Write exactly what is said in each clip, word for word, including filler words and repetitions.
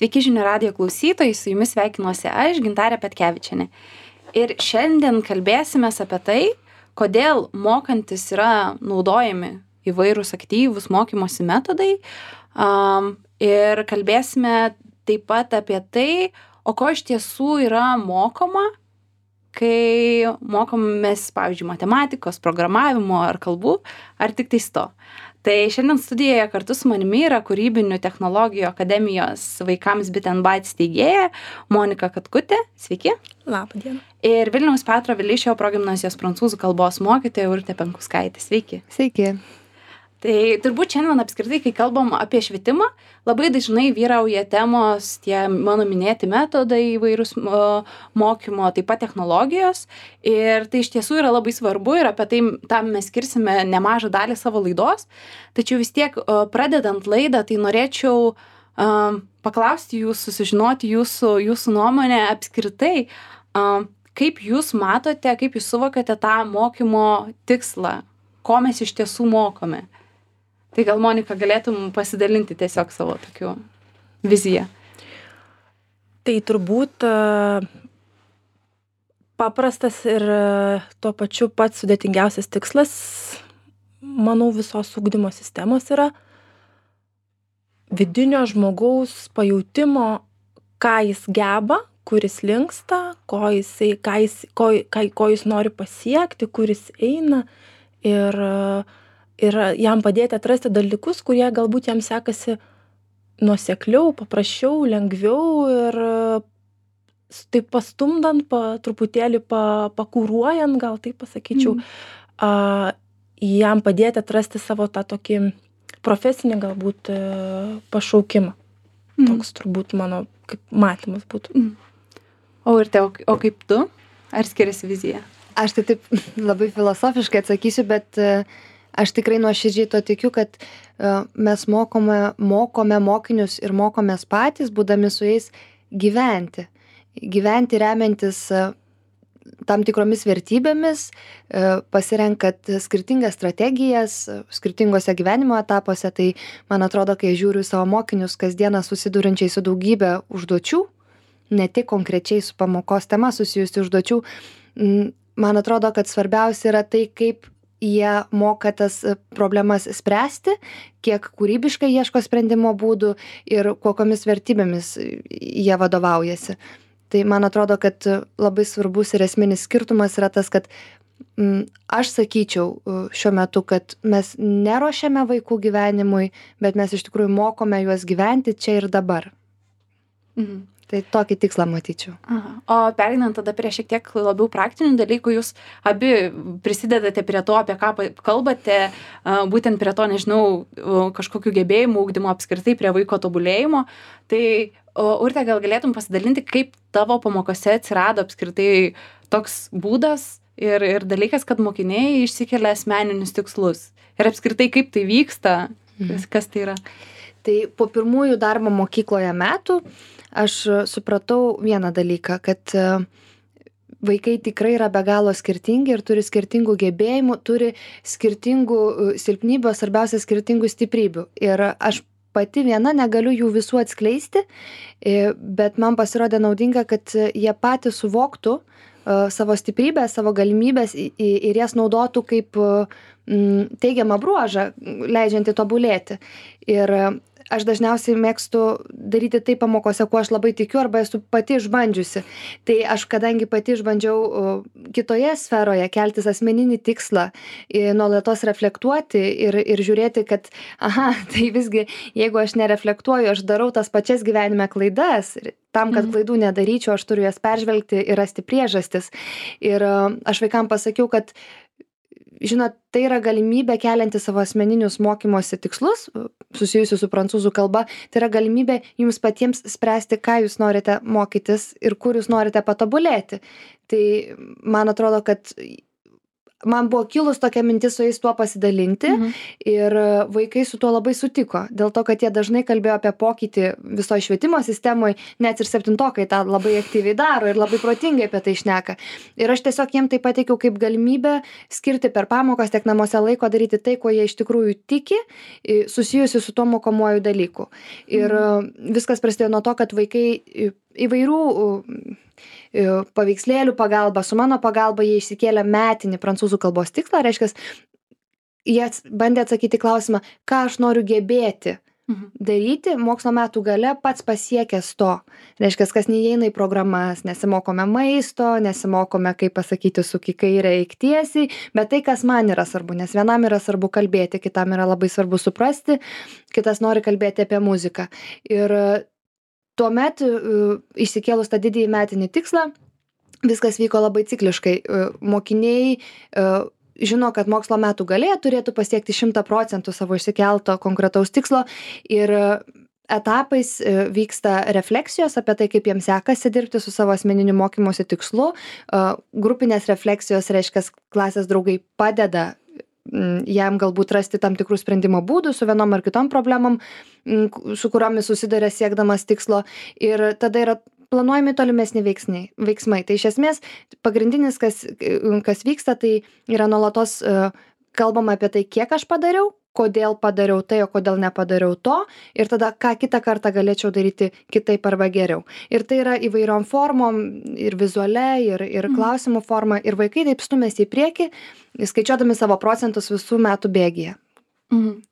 Sveiki žinių radijo klausytojai, su jumis sveikinuosi aš, Gintarė Petkevičienė. Ir šiandien kalbėsime apie tai, kodėl mokantis yra naudojami įvairūs aktyvūs mokymosi metodai. Um, ir kalbėsime taip pat apie tai, o ko iš tiesų yra mokoma, kai mokomės, pavyzdžiui, matematikos, programavimo ar kalbų, ar tik tais to. Tai šiandien studijoje kartu su manimi yra Kūrybinių technologijų akademijos vaikams Bit and Byte steigėja Monika Katkutė. Sveiki. Labą dieną. Ir Vilniaus Petro Vileišio progimnazijos prancūzų kalbos mokytoja Urtė Penkuskaitė. Sveiki. Sveiki. Tai turbūt šiandien apskritai, kai kalbam apie švietimą, labai dažnai vyrauja temos tie mano minėti metodai įvairūs mokymo, taip pat technologijos. Ir tai iš tiesų yra labai svarbu ir apie tai tam mes skirsime nemažą dalį savo laidos. Tačiau vis tiek pradedant laidą, tai norėčiau um, paklausti jūsų, sužinoti jūsų, jūsų nuomonę apskritai, um, kaip jūs matote, kaip jūs suvokate tą mokymo tikslą, ko mes iš tiesų mokome. Tai gal, Monika, galėtum pasidalinti tiesiog savo tokiu viziją? Tai turbūt paprastas ir tuo pačiu pats sudėtingiausias tikslas, manau, visos ugdymo sistemos yra vidinio žmogaus pajautimo, ką jis geba, kur jis linksta, ko, jisai, ką jis, ko, ką, ko jis nori pasiekti, kur jis eina ir ir jam padėti atrasti dalykus, kurie galbūt jam sekasi nuosekliau, paprasčiau, lengviau ir taip pastumdant, pa, truputėlį pa, pakūruojant, gal taip pasakyčiau, mm. a, jam padėti atrasti savo tą tokį profesinį galbūt pašaukimą. Mm. Toks turbūt mano kaip matymas būtų. Mm. O ir te, o kaip tu? Ar skiriasi vizija? Aš tai taip labai filosofiškai atsakysiu, bet aš tikrai nuoširdžiai to tikiu, kad uh, mes mokome, mokome mokinius ir mokomės patys, būdami su jais gyventi. Gyventi remiantis uh, tam tikromis vertybėmis, uh, pasirenkat skirtingas strategijas, uh, skirtingose gyvenimo etapuose. Tai man atrodo, kai žiūriu savo mokinius kasdieną susidurinčiai su daugybė užduočių, ne tik konkrečiai su pamokos tema susijusių užduočių, mm, man atrodo, kad svarbiausia yra tai, kaip jie moka tas problemas spręsti, kiek kūrybiškai ieško sprendimo būdų ir kokiamis vertybėmis jie vadovaujasi. Tai man atrodo, kad labai svarbus ir esminis skirtumas yra tas, kad m, aš sakyčiau šiuo metu, kad mes neruošiame vaikų gyvenimui, bet mes iš tikrųjų mokome juos gyventi čia ir dabar. Mhm. Tai tokį tikslą matyčiau. Aha. O pereinant tada prie šiek tiek labiau praktinių dalykų, jūs abi prisidedate prie to, apie ką kalbate, būtent prie to, nežinau, kažkokių gebėjimų ugdymo apskritai, prie vaiko tobulėjimo. Tai Urte, gal galėtum pasidalinti, kaip tavo pamokose atsirado apskritai toks būdas ir, ir dalykas, kad mokiniai išsikelia asmeninius tikslus. Ir apskritai, kaip tai vyksta, mhm. kas tai yra? Tai po pirmųjų darbo mokykloje metų aš supratau vieną dalyką, kad vaikai tikrai yra be galo skirtingi ir turi skirtingų gebėjimų, turi skirtingų silpnybių, svarbiausia skirtingų stiprybių. Ir aš pati viena negaliu jų visų atskleisti, bet man pasirodė naudinga, kad jie patys suvoktų savo stiprybę, savo galimybės ir jas naudotų kaip teigiamą bruožą, leidžiantį tobulėti. Ir aš dažniausiai mėgstu daryti tai pamokose, kuo aš labai tikiu, arba esu pati išbandžiusi. Tai aš, kadangi pati išbandžiau kitoje sferoje keltis asmeninį tikslą, nuolatos reflektuoti ir, ir žiūrėti, kad, aha, tai visgi, jeigu aš nereflektuoju, aš darau tas pačias gyvenime klaidas. Tam, kad klaidų nedaryčiau, aš turiu jas peržvelgti ir rasti priežastis. Ir aš vaikam pasakiau, kad žinot, tai yra galimybė kelianti savo asmeninius mokymosi tikslus, susijusius su prancūzų kalba, tai yra galimybė jums patiems spręsti, ką jūs norite mokytis ir kur jūs norite patobulėti. Tai man atrodo, kad man buvo kilus tokia mintis su jais tuo pasidalinti Mhm. ir vaikai su tuo labai sutiko, dėl to, kad jie dažnai kalbėjo apie pokytį visoje švietimo sistemoje, net ir septintokai tą labai aktyviai daro ir labai protingai apie tai šneka. Ir aš tiesiog jiem tai pateikiau kaip galimybę skirti per pamokas tiek namuose laiko daryti tai, ko jie iš tikrųjų tiki, i- susijusi su tuo mokomuoju dalyku. Ir mhm. viskas prasidėjo nuo to, kad vaikai i- įvairių u, i, paveikslėlių pagalba, su mano pagalba jie išsikėlė metinį prancūzų kalbos tikslą, reiškia, jie ats- bandė atsakyti į klausimą, ką aš noriu gebėti Mhm. daryti mokslo metų gale pats pasiekęs to. Reiškia, kas neįeina į programas, nesimokome maisto, nesimokome, kaip pasakyti, su kairė eik tiesiai, bet tai, kas man yra svarbu, nes vienam yra svarbu kalbėti, kitam yra labai svarbu suprasti, kitas nori kalbėti apie muziką. Ir e, tuomet e, išsikėlus tą didįjį metinį tikslą, viskas vyko labai cikliškai. E, Mokiniai e, žino, kad mokslo metų galėje turėtų pasiekti šimtą procentų savo išsikelto konkretaus tikslo ir e, etapais e, vyksta refleksijos apie tai, kaip jiems sekasi dirbti su savo asmeniniu mokymosi tikslu. E, Grupinės refleksijos reiškia, klasės draugai padeda mm, jam galbūt rasti tam tikrų sprendimo būdų su vienom ar kitom problemom, mm, ku- su kuriomis susiduria siekdamas tikslo. Ir tada yra planuojami tolimesni veiksniai, veiksmai. Tai iš esmės pagrindinis, kas, kas vyksta, tai yra nuolatos e, kalbama apie tai, kiek aš padariau, kodėl padariau tai, o kodėl nepadariau to, ir tada ką kitą kartą galėčiau daryti kitaip arba geriau. Ir tai yra įvairiom formom, ir vizualia, ir, ir Mhm. klausimų forma, ir vaikai taip stumėsi į priekį, skaičiuodami savo procentus visų metų bėgyje. Mhm.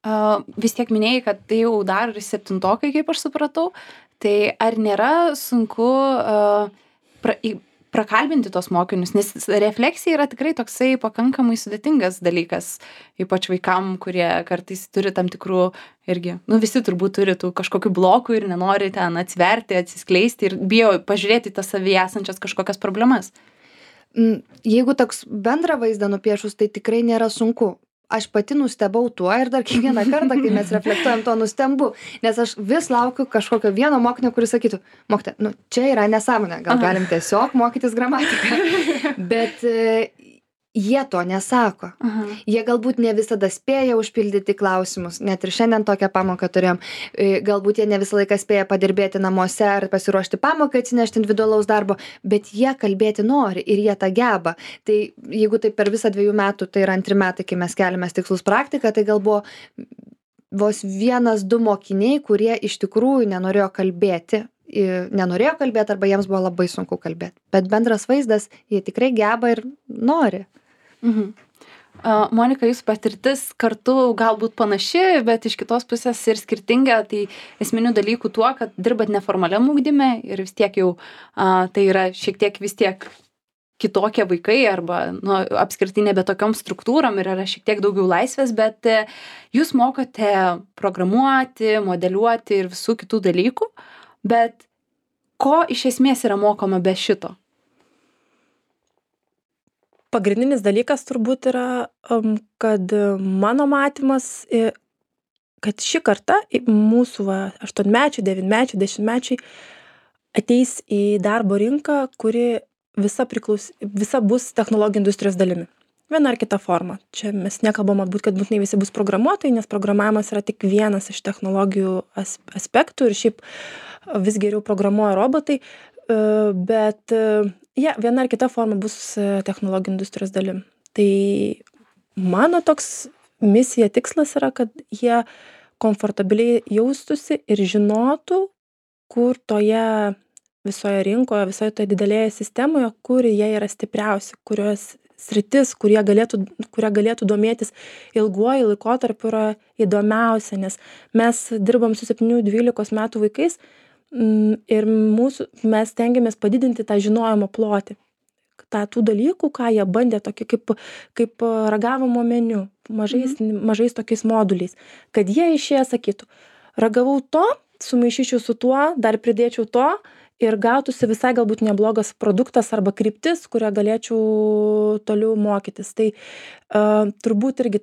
A, vis tiek minėjai, kad tai jau dar ir septintokai, kaip aš supratau. Tai ar nėra sunku a, pra, į- prakalbinti tos mokinius, nes refleksija yra tikrai toksai pakankamai sudėtingas dalykas, ypač vaikam, kurie kartais turi tam tikrų irgi, nu visi turbūt turi tų kažkokių blokų ir nenori ten atsiverti, atsiskleisti ir bijo pažiūrėti į tas savyje esančias kažkokias problemas. Mm, Jeigu toks bendrą vaizdą nupiešus, tai tikrai nėra sunku. Aš pati nustebau tuo ir dar kiekvieną kartą, kai mes reflektuojam, to nustembu, nes aš vis laukiu kažkokio vieno mokinio, kuris sakytų, mokytoja, nu čia yra nesąmonė, gal Aha. galim tiesiog mokytis gramatiką, bet e, jie to nesako. Aha. Jie galbūt ne visada spėja užpildyti klausimus, net ir šiandien tokią pamoką turėjom. E, Galbūt jie ne visą laiką spėja padirbėti namuose ar pasiruošti pamoką, atsinešti individualaus darbo, bet jie kalbėti nori ir jie tą geba. Tai jeigu tai per visą dviejų metų, tai yra antri metai, kai mes keliamės tikslus praktiką, tai gal buvo vos vienas, du mokiniai, kurie iš tikrųjų nenorėjo kalbėti. i- Nenorėjo kalbėti arba jiems buvo labai sunku kalbėti. Bet bendras vaizdas, jie tikrai geba ir nori. Mhm. A, Monika, jūsų patirtis kartu galbūt panaši, bet iš kitos pusės ir skirtinga. Tai esminių dalykų tuo, kad dirbat neformaliam ugdyme ir vis tiek jau a, tai yra šiek tiek vis tiek kitokie vaikai arba nu, apskritai nebe tokiom struktūrom ir yra šiek tiek daugiau laisvės, bet e, jūs mokote programuoti, modeliuoti ir visų kitų dalykų, bet ko iš esmės yra mokoma be šito? Pagrindinis dalykas turbūt yra, um, kad e, mano matymas, e, kad ši karta, i- mūsų va, aštuonmečiai, devynmečiai, dešimtmečiai, ateis į darbo rinką, kuri visa, priklaus, visa bus technologijų industrijos dalimi. Viena ar kita forma. Čia mes nekalbam būt, kad būtinai visi bus programuotojai, nes programavimas yra tik vienas iš technologijų as, aspektų ir šiaip vis geriau programuoja robotai, e, bet e, ja, viena ar kita forma bus e, technologijų industrijos dalim. Tai mano toks misija, tikslas yra, kad jie komfortabiliai jaustųsi ir žinotų, kur toje visoje rinkoje, visoje toje didelėje sistemoje, kur jie yra stipriausi, kurios sritis, kurie galėtų, kurie galėtų domėtis ilguoju laikotarpiu yra įdomiausia, nes mes dirbam su septynių dvylikos metų vaikais mm, ir mūsų, mes stengiamės padidinti tą žinojimo plotį. tą tų dalykų, ką jie bandė, tokį kaip, kaip ragavimo meniu, mažais, mhm. mažais tokiais moduliais, kad jie išėję sakytų, ragavau to, sumaišyčiau su tuo, dar pridėčiau to ir gautųsi visai galbūt neblogas produktas arba kryptis, kurią galėčiau toliau mokytis. Tai uh, turbūt irgi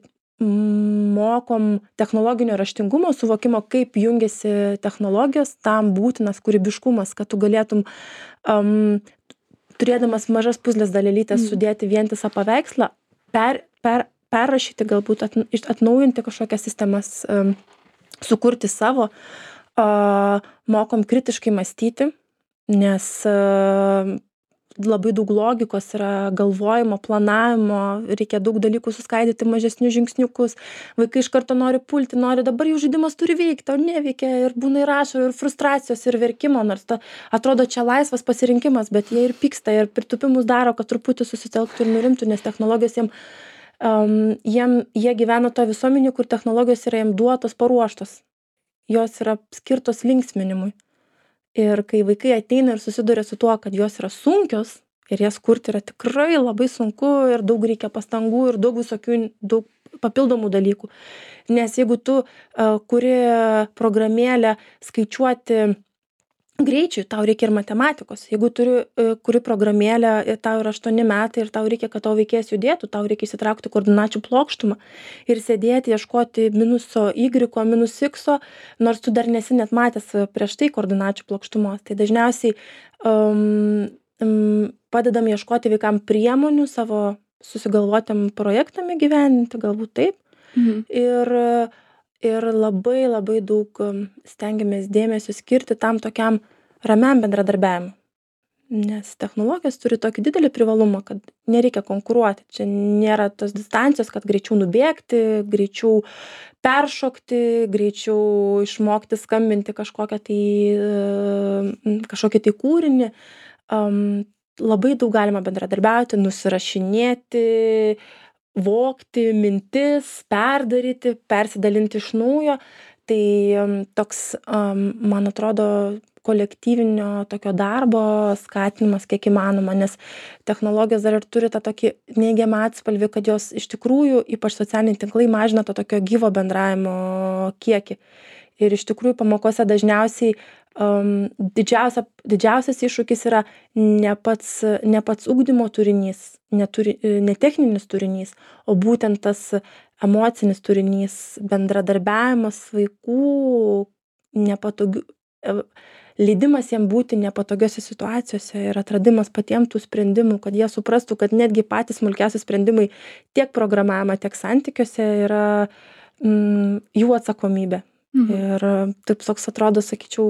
mokom technologinio raštingumo, suvokimo, kaip jungiasi technologijos, tam būtinas kūrybiškumas, kad tu galėtum um, turėdamas mažas puzlės dalelytės mm. sudėti vientisą paveikslą, per, per, perrašyti, galbūt at, atnaujinti kažkokias sistemas, um, sukurti savo, uh, mokom kritiškai mąstyti, nes uh, labai daug logikos yra, galvojimo, planavimo, reikia daug dalykų suskaidyti mažesnius žingsniukus, vaikai iš karto nori pulti, nori dabar jų žaidimas turi veikti, o neveikia ir būna ir ašarų, ir frustracijos, ir verkimo, nors ta, atrodo čia laisvas pasirinkimas, bet jie ir pyksta, ir pritupimus daro, kad truputį susitelktų ir nurimtų, nes technologijos jiem, um, jiem, jie gyvena to visuomenį, kur technologijos yra jiem duotos, paruoštos, jos yra skirtos linksminimui. Ir kai vaikai ateina ir susiduria su tuo, kad jos yra sunkios ir jas kurti yra tikrai labai sunku ir daug reikia pastangų ir daug visokių, daug papildomų dalykų. Nes jeigu tu uh, kuri programėlę skaičiuoti greičiui, tau reikia ir matematikos. Jeigu turi uh, kuri programėlę ir tau yra aštuoni metai ir tau reikia, kad tavo veikėjas judėtų, tau reikia įsitraukti koordinačių plokštumą ir sėdėti, ieškoti minuso Y, minus X, nors tu dar nesi net matęs prieš tai koordinačių plokštumos. Tai dažniausiai um, um, padedam ieškoti vaikam priemonių savo susigalvotėm projektam įgyvendinti, galbūt taip. Mhm. Ir Ir labai labai daug stengiamės dėmesio skirti tam tokiam ramiam bendradarbiavimui. Nes technologijos turi tokį didelį privalumą, kad nereikia konkuruoti. Čia nėra tos distancijos, kad greičiau nubėgti, greičiau peršokti, greičiau išmokti skambinti kažkokią tai, kažkokį tai kūrinį. Um, labai daug galima bendradarbiauti, nusirašinėti, vokti mintis, perdaryti, persidalinti iš naujo. Tai toks, um, man atrodo, kolektyvinio tokio darbo skatinimas kiek įmanoma, nes technologijos dar ir turi tą tokį neigiamą atspalvį, kad jos iš tikrųjų, ypač socialiniai tinklai, mažina to tokio gyvo bendravimo kiekį. Ir iš tikrųjų pamokose dažniausiai um, didžiausia, didžiausias iššūkis yra ne pats, ne pats ugdymo turinys, neturi, ne techninis turinys, o būtent tas emocinis turinys, bendradarbiavimas vaikų, nepatogių, leidimas jiem būti nepatogiose situacijose ir atradimas patiems tų sprendimų, kad jie suprastų, kad netgi patys smulkiausi sprendimai tiek programavime, tiek santykiuose yra mm, jų atsakomybė. Mhm. Ir taip toks atrodo, sakyčiau,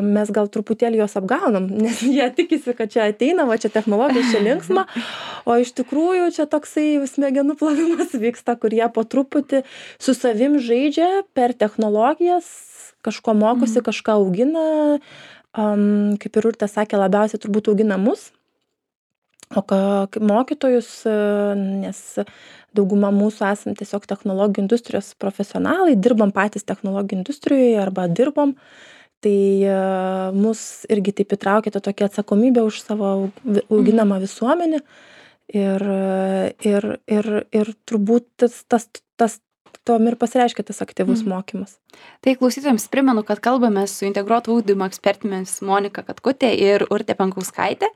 mes gal truputėlį juos apgaunam, nes jie tikisi, kad čia ateina, va čia technologija, čia linksma, o iš tikrųjų čia toksai smegenų plovimas vyksta, kur jie po truputį su savim žaidžia per technologijas, kažko mokosi, mhm. kažką augina, um, kaip ir Urtė sakė, labiausiai turbūt augina mus, o ką, mokytojus, nes dauguma mūsų esam tiesiog technologijų industrijos profesionalai, dirbam patys technologijų industrijoje arba dirbom, tai uh, mus irgi taip įtraukė tą tokią atsakomybę už savo auginamą visuomenę ir, ir, ir, ir turbūt tas, tas, tas tom ir pasireiškia tas aktyvus mm. mokymas. Tai klausytojams primenu, kad kalbame su integruoto ugdymo ekspertėmis Monika Katkutė ir Urtė Penkauskaitė.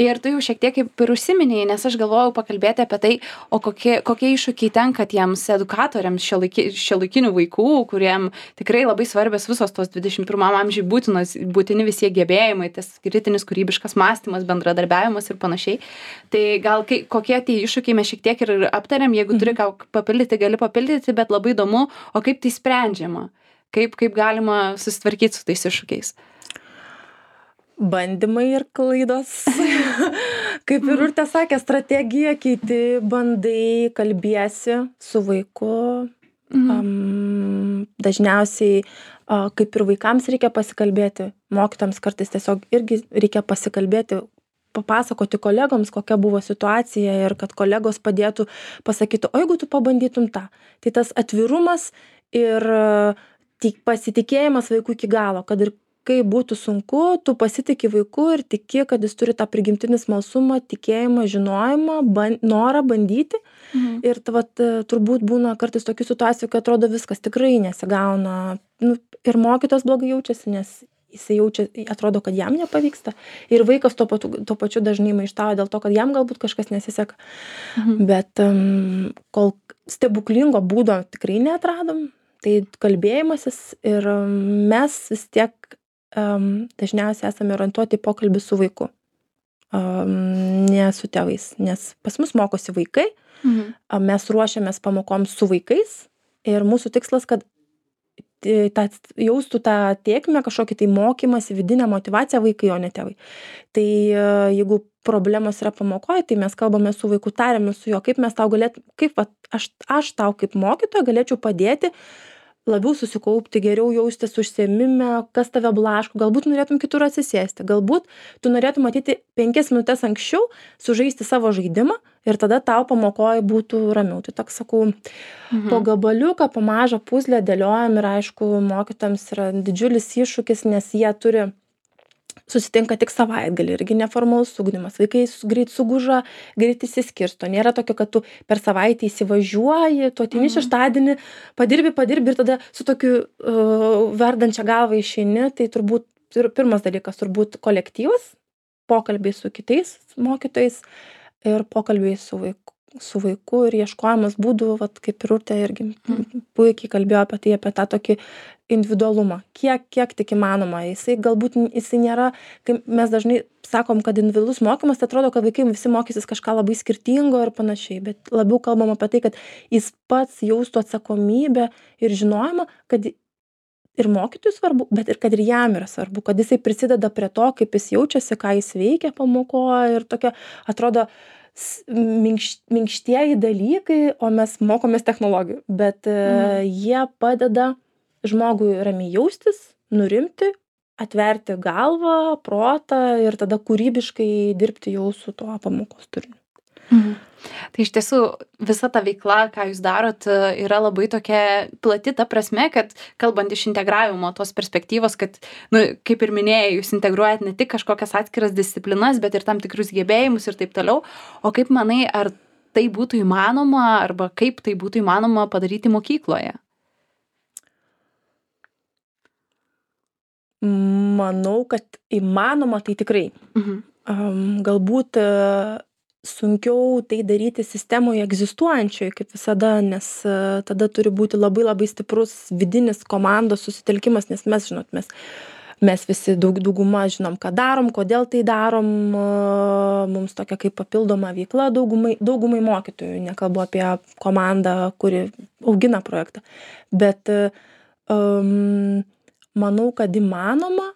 Ir tu jau šiek tiek kaip ir užsiminėjai, nes aš galvojau pakalbėti apie tai, o kokie, kokie iššūkiai tenka tiems edukatoriams šiuolaikinių vaikų, kuriem tikrai labai svarbios visos tos dvidešimt pirmam amžiui būtinos, būtini visi gebėjimai, tas kritinis kūrybiškas mąstymas, bendradarbiavimas ir panašiai. Tai gal kai, kokie tie iššūkiai mes šiek tiek ir aptarėm, jeigu mm. turi ką papildyti, gali papildyti, bet labai įdomu, o kaip tai sprendžiama, kaip, kaip galima susitvarkyti su tais iššūkiais. Bandymai ir klaidos. Kaip ir Urtė sakė, strategija keiti, bandai, kalbiesi su vaiku. Mhm. Um, dažniausiai, uh, kaip ir vaikams reikia pasikalbėti, mokytams kartais tiesiog irgi reikia pasikalbėti, papasakoti kolegoms, kokia buvo situacija ir kad kolegos padėtų pasakyti, o jeigu tu pabandytum tą. Tai tas atvirumas ir tik pasitikėjimas vaikų iki galo, kad ir kai būtų sunku, tu pasitiki vaiku ir tiki, kad jis turi tą prigimtinį smalsumą, tikėjimą, žinojimą, ban, norą bandyti. Mhm. Ir vat, turbūt būna kartais tokių situacijų, kad atrodo viskas tikrai nesigauna. Nu, ir mokytojas blogai jaučiasi, nes jisai jaučia, atrodo, kad jam nepavyksta. Ir vaikas tuo, patu, tuo pačiu dažnai maištauja dėl to, kad jam galbūt kažkas nesiseka. Mhm. Bet um, kol stebuklingo būdo tikrai neatradom, tai kalbėjimasis ir um, mes vis tiek um, dažniausiai esame orientuoti į pokalbį su vaiku. ne su tėvais, nes pas mus mokosi vaikai, Mhm. mes ruošiamės pamokoms su vaikais ir mūsų tikslas, kad tą jaustų tą tėkmę, kažkokį tai mokymąsi, vidinę motyvaciją vaikai, o ne tėvai. Tai jeigu problemos yra pamokoje, tai mes kalbame su vaiku, tariamės su juo, kaip mes tau galėtume, kaip va, aš, aš tau kaip mokytoja galėčiau padėti labiau susikaupti, geriau jaustis užsiėmime, kas tave blaško, galbūt norėtum kitur atsisėsti, galbūt tu norėtum matyti penkias minutės anksčiau, sužaisti savo žaidimą ir tada tau pamokoje būtų ramiau. Tai toks, sakau, mhm. po gabaliuką, po mažą puzlę dėliojam ir aišku, mokytojams yra didžiulis iššūkis, nes jie turi susitinka tik savaitgalį, irgi neformalus ugdymas, vaikai greit suguža, greit įsiskirsto, nėra tokio, kad tu per savaitę įsivažiuoji, tu ateini šeštadienį, padirbi, padirbi ir tada su tokiu uh, verdančia galva išeini, tai turbūt pir, pirmas dalykas turbūt kolektyvas, pokalbiai su kitais mokytojais ir pokalbiai su vaiku. su vaiku ir ieškojimas būdų, vat, kaip ir Urtė irgi mm. puikiai kalbėjo apie tai, apie tą tokį individualumą, kiek, kiek tik įmanoma. Jisai galbūt, jisai nėra, kai mes dažnai sakom, kad individualus mokymas, tai atrodo, kad vaikai visi mokysis kažką labai skirtingo ir panašiai, bet labiau kalbam apie tai, kad jis pats jaustų atsakomybę ir žinojimą, kad ir mokytojui svarbu, bet ir kad ir jam yra svarbu, kad jisai prisideda prie to, kaip jis jaučiasi, ką jis veikia pamokoje ir tokia, atrodo, minkš, minkštieji dalykai, o mes mokomės technologijų, bet mm. jie padeda žmogui ramiai jaustis, nurimti, atverti galvą, protą ir tada kūrybiškai dirbti jau su tuo pamokos turiniu. Mhm. Tai iš tiesų visa ta veikla, ką jūs darot, yra labai tokia plati ta prasme, kad kalbant iš integravimo tos perspektyvos, kad, nu, kaip ir minėjai, jūs integruojat ne tik kažkokias atskiras disciplinas, bet ir tam tikrus gebėjimus ir taip toliau. O kaip manai, ar tai būtų įmanoma, arba kaip tai būtų įmanoma padaryti mokykloje? Manau, kad įmanoma tai tikrai. Mhm. Um, galbūt sunkiau tai daryti sistemoje egzistuojančioje, kaip visada, nes uh, tada turi būti labai labai stiprus vidinis komandos susitelkimas, nes mes, žinot, mes, mes visi daug, dauguma žinom, ką darom, kodėl tai darom, uh, mums tokia kaip papildoma veikla daugumai, daugumai mokytojų, nekalbu apie komandą, kuri augina projektą, bet uh, um, manau, kad įmanoma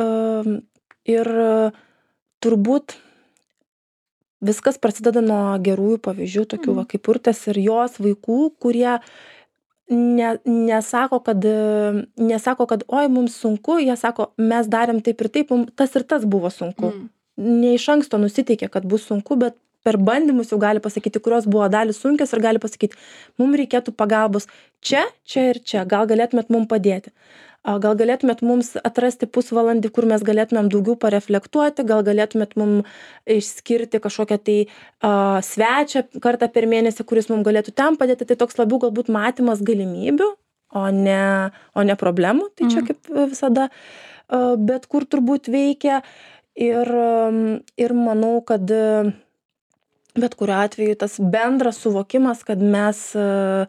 um, ir uh, turbūt viskas prasideda nuo gerųjų pavyzdžių, tokių va, kaip Urtės ir jos vaikų, kurie ne, nesako, kad, nesako, kad oi, mums sunku, jie sako, mes darėm taip ir taip, tas ir tas buvo sunku. Mm. Ne iš anksto nusiteikė, kad bus sunku, bet per bandymus jau gali pasakyti, kurios buvo dalys sunkios ir gali pasakyti, mums reikėtų pagalbos čia, čia ir čia, gal galėtumėt mums padėti. Gal galėtumėt mums atrasti pusvalandį, kur mes galėtumėm daugiau pareflektuoti, gal galėtumėt mums išskirti kažkokią tai uh, svečią kartą per mėnesį, kuris mums galėtų ten padėti. Tai toks labiau galbūt matymas galimybių, o ne, o ne problemų. Tai čia kaip visada, uh, bet kur turbūt veikia. Ir, um, ir manau, kad uh, bet kuriuo atveju tas bendras suvokimas, kad mes, uh,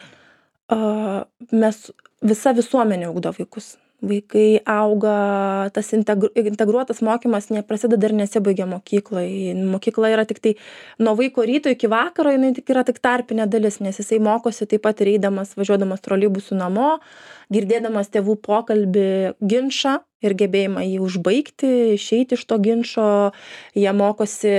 uh, mes visa visuomenė ugdo vaikus. Vaikai auga, tas integru, integruotas mokymas neprasideda ir nesibaigia mokykloje. Mokykla yra tik tai nuo vaiko ryto iki vakaro, jinai tik yra tik tarpinė dalis, nes jisai mokosi taip pat ir eidamas, važiuodamas troleibusu namo, girdėdamas tėvų pokalbį, ginčą ir gebėjimą jį užbaigti, išeiti iš to ginčo. Jie mokosi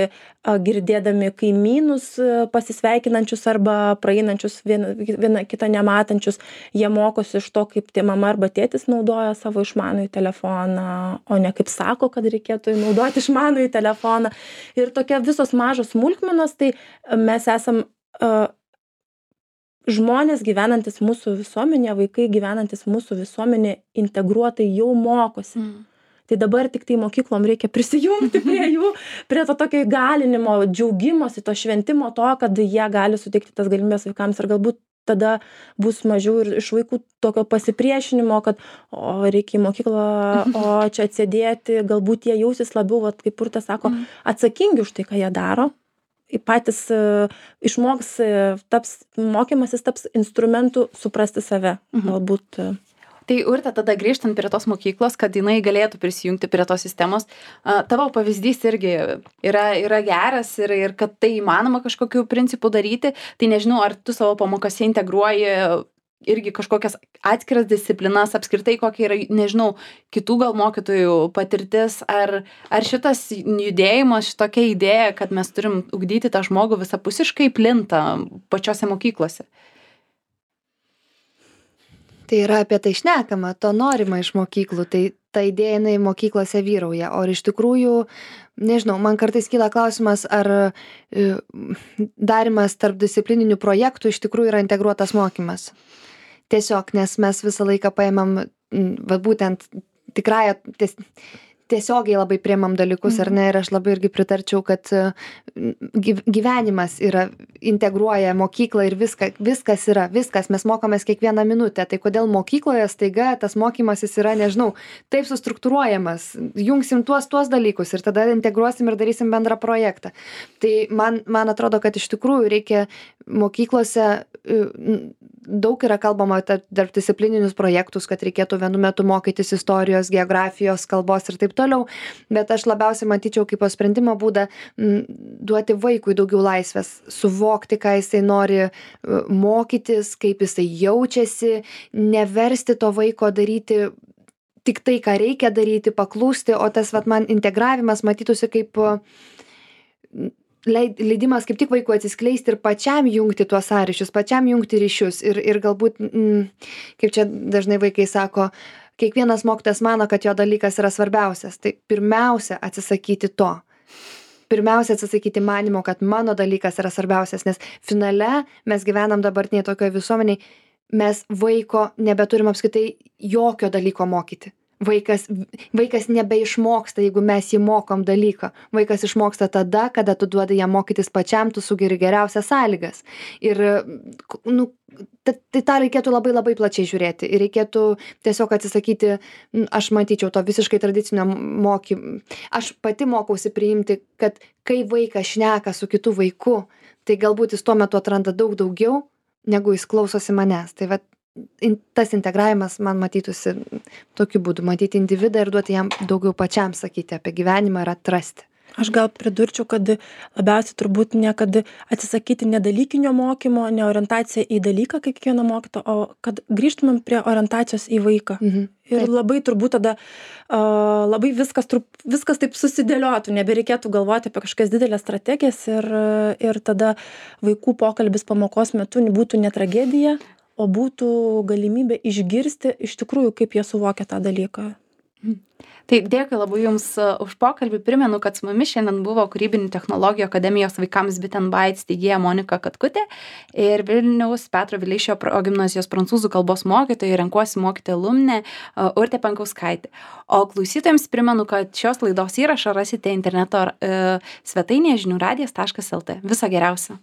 girdėdami kaimynus pasisveikinančius arba praeinančius vieną, vieną kitą nematančius. Jie mokosi iš to, kaip tie mama arba tėtis naudoja savo išmanųjį telefoną, o ne kaip sako, kad reikėtų naudoti išmanųjį telefoną. Ir tokia visos mažos smulkmenos, tai mes esam uh, žmonės gyvenantis mūsų visuomenė, vaikai gyvenantis mūsų visuomenė integruotai jau mokosi. Mm. Tai dabar tik tai mokyklom reikia prisijungti prie jų, prie to tokio įgalinimo, džiaugimosi, to šventimo to, kad jie gali suteikti tas galimybės vaikams ir galbūt tada bus mažiau ir iš vaikų tokio pasipriešinimo, kad o, reikia į mokyklą, o čia atsėdėti, galbūt jie jausis labiau, vat, kaip Urtė sako, mm. atsakingi už tai, ką jie daro. Patys uh, išmoks, uh, taps, mokymasis taps instrumentų suprasti save. Mhm. Galbūt. Uh. Tai Urte, tada grįžtant prie tos mokyklos, kad jinai galėtų prisijungti prie tos sistemos, a, tavo pavyzdys irgi yra, yra geras ir, ir kad tai įmanoma kažkokiu principu daryti, tai nežinau, ar tu savo pamokose integruoji irgi kažkokias atskiras disciplinas, apskritai kokia yra, nežinau, kitų gal mokytojų patirtis, ar, ar šitas judėjimas, šitokia idėja, kad mes turim ugdyti tą žmogų visapusiškai plinta pačiose mokyklose. Tai yra apie tai šnekama, to norima iš mokyklų, tai ta idėja jinai mokyklose vyrauja, o iš tikrųjų, nežinau, man kartais kyla klausimas, ar e, darimas tarp disciplininių projektų iš tikrųjų yra integruotas mokymas. Tiesiog, nes mes visą laiką paėmam, va būtent tikrąją, ties, tiesiogiai labai priemam dalykus, ar ne, ir aš labai irgi pritarčiau, kad gyvenimas yra, integruoja mokyklą ir viską, viskas yra, viskas, mes mokomės kiekvieną minutę, tai kodėl mokykloje staiga tas mokymasis yra, nežinau, taip sustruktūruojamas, jungsim tuos, tuos dalykus ir tada integruosim ir darysim bendrą projektą. Tai man, man atrodo, kad iš tikrųjų reikia mokyklose, daug yra kalbama tarp disciplininius projektus, kad reikėtų vienu metu mokytis istorijos, geografijos, kalbos ir taip toliau, bet aš labiausiai matyčiau kaip sprendimo būdą m, duoti vaikui daugiau laisvės, suvokti, ką jisai nori mokytis, kaip jisai jaučiasi, neversti to vaiko daryti tik tai, ką reikia daryti, paklūsti, o tas vat, man integravimas matytųsi kaip leidimas kaip tik vaikui atsiskleisti ir pačiam jungti tuos sąryšius, pačiam jungti ryšius ir, ir galbūt, mm, kaip čia dažnai vaikai sako, kiekvienas mokytojas mano, kad jo dalykas yra svarbiausias. Tai pirmiausia atsisakyti to. Pirmiausia atsisakyti manimo, kad mano dalykas yra svarbiausias, nes finale mes gyvenam dabartiniai tokioje visuomeniai, mes vaiko nebeturim apskritai jokio dalyko mokyti. Vaikas, vaikas nebeišmoksta, jeigu mes jį mokom dalyką. Vaikas išmoksta tada, kada tu duodi jam mokytis pačiam, tu sugeri geriausias sąlygas. Ir nu, tai, tai tą reikėtų labai labai plačiai žiūrėti. Ir reikėtų tiesiog atsisakyti, aš matyčiau to visiškai tradicinio mokymą. Aš pati mokausi priimti, kad kai vaikas šneka su kitu vaiku, tai galbūt jis tuo metu atranda daug daugiau, negu jis klausosi manęs. Tai vat, tas integravimas man matytųsi tokiu būdu, matyti individą ir duoti jam daugiau pačiam sakyti apie gyvenimą ir atrasti. Aš gal pridurčiau, kad labiausiai turbūt ne kad atsisakyti nedalykinio mokymo, ne orientacija į dalyką kaip kiekvieno mokyto, o kad grįžtumėm prie orientacijos į vaiką. Mhm. Ir taip. Labai turbūt tada uh, labai viskas, trup, viskas taip susidėliotų, nebereikėtų galvoti apie kažkokias didelės strategijas ir, ir tada vaikų pokalbis pamokos metu būtų ne tragedija, o būtų galimybė išgirsti iš tikrųjų, kaip jie suvokia tą dalyką. Tai dėkui labai Jums už pokalbį. Primenu, kad su mumis šiandien buvo Kūrybinių technologijų akademijos vaikams Bit and Byte steigėja Monika Katkutė ir Vilniaus Petro Vileišio progimnazijos prancūzų kalbos mokytoja ir renkuosi mokyti alumnė Urtė Pankauskaitė. O klausytojams primenu, kad šios laidos įrašą rasite interneto e, svetainėje žinių radijas taškas lt. Viso geriausio.